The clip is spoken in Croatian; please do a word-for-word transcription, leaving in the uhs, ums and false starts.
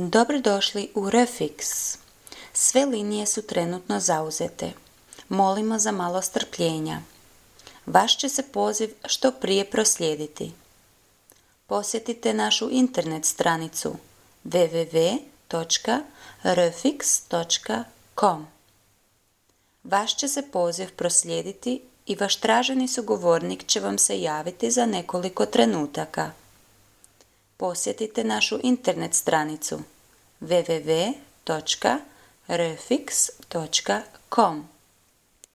Dobrodošli u Refix. Sve linije su trenutno zauzete. Molimo za malo strpljenja. Vaš će se poziv što prije proslijediti. Posjetite našu internet stranicu w w w točka refix točka com. Vaš će se poziv proslijediti i vaš traženi sugovornik će vam se javiti za nekoliko trenutaka. Posjetite našu internet stranicu w w w točka refix točka com.